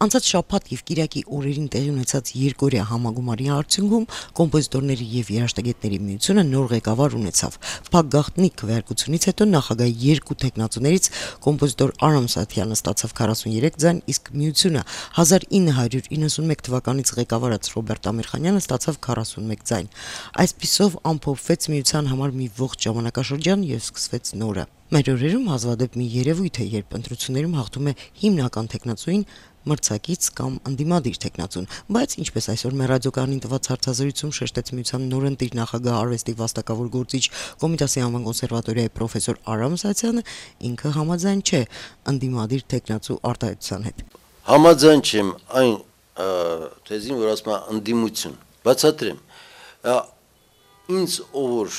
Անցած շաբաթ եւ կիրակի օրերին տեղի ունեցած երկօրյա համագումարի արդյունքում կոմպոզիտորների եւ երաժշտագետների միությունը նոր ղեկավար ունեցավ։ Փակ գաղտնի քվեարկությունից հետո նախագահի երկու տեխնացուներից կոմպոզիտոր Արամ Սաթյանը ստացավ 43 ձայն, իսկ միությունը 1991 թվականից ղեկավարած Ռոբերտ Ամիրխանյանը ստացավ 41 ձայն։ Այսպիսով ամփոփվեց միության համար մի ողջ ժամանակաշրջան եւ սկսվեց նորը։ Մեր օրերում հազվադեպ մի երևույթ է, երբ ընտրություններում հաղթում է հիմնական տեխնացուին, մրցակից կամ ընդդիմադիր տեխնացուն, բայց ինչպես այսօր մեր ռադիոկայանին տված հարցազրույցում շեշտեց միության նորընտիր նախագահ արվեստի վաստակավոր գործիչ Կոմիտասի անվան կոնսերվատորիայի պրոֆեսոր Արամ Սաթյանը, ինքը համաձայն չէ ընդդիմադիր տեխնացու արտահայտության հետ։ Համաձայն չեմ այն թեզին, որ ասում է ընդդիմություն, բացատրեմ, ինձ ով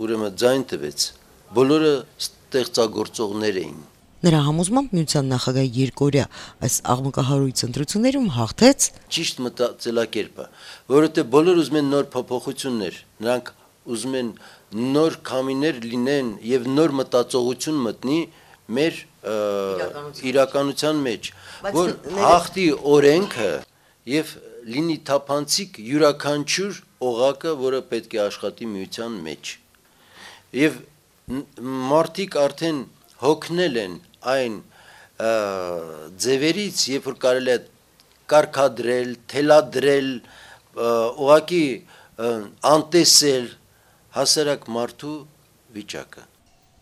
ուրեմն ձայն տվեց, բոլորը ստեղծագործողներ էին։ Նրա համոզմամբ միության նախագահի երկօրյա այս աղմկահարույց ընտրություններում հաղթեց ճիշտ մտածելակերպը, որովհետև բոլորը ուզում են նոր փոփոխություններ, նրանք ուզում են նոր քամիներ լինեն եւ նոր մտածողություն մտնի մեր իրականության մեջ, որ հաղթի օրենքը եւ լինի թափանցիկ յուրաքանչյուր օղակը, որը պետք է աշխատի միության մեջ։ Եվ մարդիկ արդեն հոգնել են այն ձևերից, երբ որ կարելի է կարգադրել, թելադրել, ուղղակի անտեսել հասարակ մարդու վիճակը։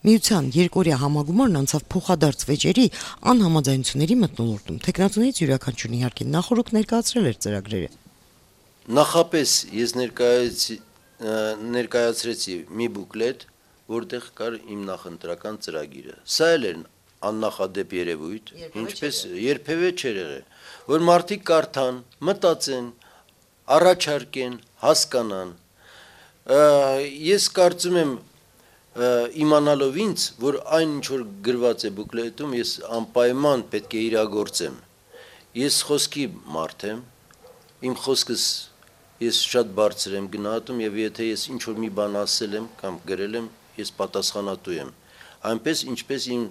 Միության երկօրյա համագումարն անցավ փոխադարձ վեճերի անհամաձայնությունների մթնոլորտում։ Տեխնացուներից յուրաքանչյուրն իհարկե նախորդ ներկայացրել էր ծրագրերը։ Նախապես ես ներկայացրեցի մի բուկլետ, որտեղ կար իմ նախընտրական ծրագիրը։ Սա էլ էր աննախադեպ երևույթ, ինչպես երբևէ չէր եղել, որ մարդիկ կարդան, մտածեն, առաջարկեն, հասկանան։ Ես կարծում եմ իմանալով ինձ, որ այն ինչ որ գրված է բուկլետում, ես անպայման պետք է իրագործեմ։ Ես խոսքի մարդ եմ, իմ խոսքս ես շատ բարձր եմ գնահատում եւ եթե ես ինչ որ մի բան ասել եմ կամ գրել եմ, ես պատասխանատու եմ, այնպես ինչպես իմ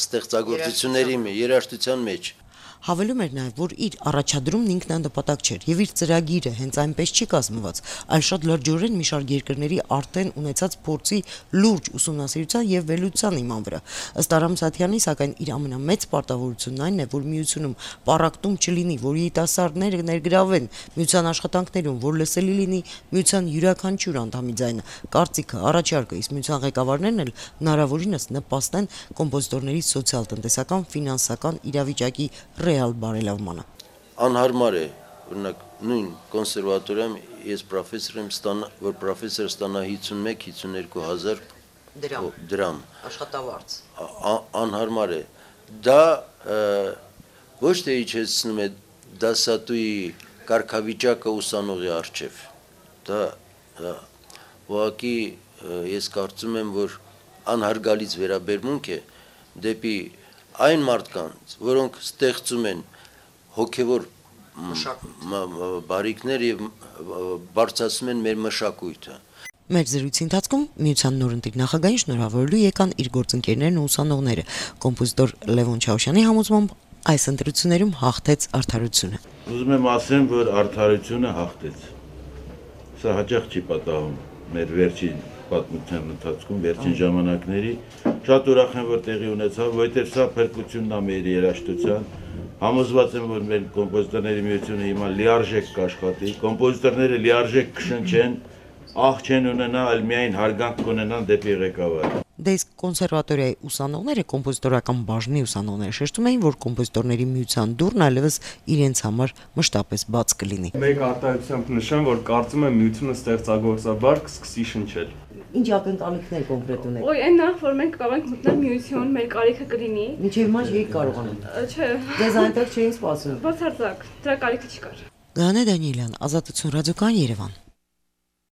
ստեղծագործությունների երաժշտության մեջ։ Հավելում էր նաև, որ իր առաջադրումն ինքնանպատակ չէր եւ իր ծրագիրը հենց այնպես չի կազմված, այլ շատ լրջորեն մի շարք երկրների արդեն ունեցած փորձի լուրջ ուսումնասիրության եւ վերլուծության իման վրա։ Ըստ Արամ Սաթյանի, սակայն իր ամենամեծ պարտավորությունն այն է, որ միությունում պառակտում չլինի, որ երիտասարդները ներգրավեն միության աշխատանքներում, որ լսելի լինի միության յուրաքանչյուր անդամի ձայնը, կարծիքը, առաջարկը, իսկ միության ղեկավարներն էլ հնարավորինս նպաստեն կոմպոզիտորների սոցիալ-տնտեսական, ֆինանսական իրավիճակի ռեալ բարելավմանը։ Անհարմար է, օրինակ նույն կոնսերվատորիայում ես պրոֆեսոր եմ որ պրոֆեսոր ստանա 51-52 հազար դրամ աշխատավարձ։ Անհարմար է։ Դա ոչ թե իջեցնում է դասատուի կարգավիճակը ուսանողի առջև։ Դա ուղղակի ես կարծում եմ, որ անհարգալից վերաբերմունք է դեպի այն մարդկանց, որոնք ստեղծում են հոգևոր բարիքներ եւ բարձրացնում են մեր մշակույթը։ Մեր զրույցի ընթացքում միության նորընտիր նախագահին շնորհավորելու եկան իր գործընկերներն ու ուսանողները։ Կոմպոզիտոր Լևոն Չաուշյանի համոզմամբ այս ընտրություններում հաղթեց արդարությունը։ Ուզում եմ ասեմ, որ արդարությունը հաղթեց։ Սա հաճախ չի պատահում մեր վերջին պատմության ընթացքում, վերջին ժամանակների շատ ուրախ եմ, որ տեղի ունեցավ, որովհետև սա փրկությունն է մեր երաժշտության։ Համոզված եմ, որ մեր կոմպոզիտորների միությունը հիմա լիարժեք կաշխատի, կոմպոզիտորները լիարժեք կշնչեն, աղ չեն ունենա, այլ միայն հարգանք կունենան դեպի ղեկավարը։ Դե իսկ կոնսերվատորիայի ուսանողները, կոմպոզիտորական բաժնի ուսանողները շեշտում էին, որ կոմպոզիտորների միության դուռն այլևս իրենց համար մշտապես բաց կլինի։ Մեկ արտահայտությամբ նշեմ, որ կարծում եմ միությունը ստեղծագործաբար կսկսի շնչել։ Ինչ ակնկալիքներ կոնկրետ ունեք։ Ոյ այն նախ որ մենք կարող ենք մտնել միություն, մեր կարիքը կլինի։ Մինչև հիմա չէիք կարողանում։ Չէ։ Ձեզ այնտեղ չէին սպասում։ Բացարձակ, դրա կարիքը չկար։ Գանե Դանիելյան, Ազատություն ռադիոկայան, Երևան։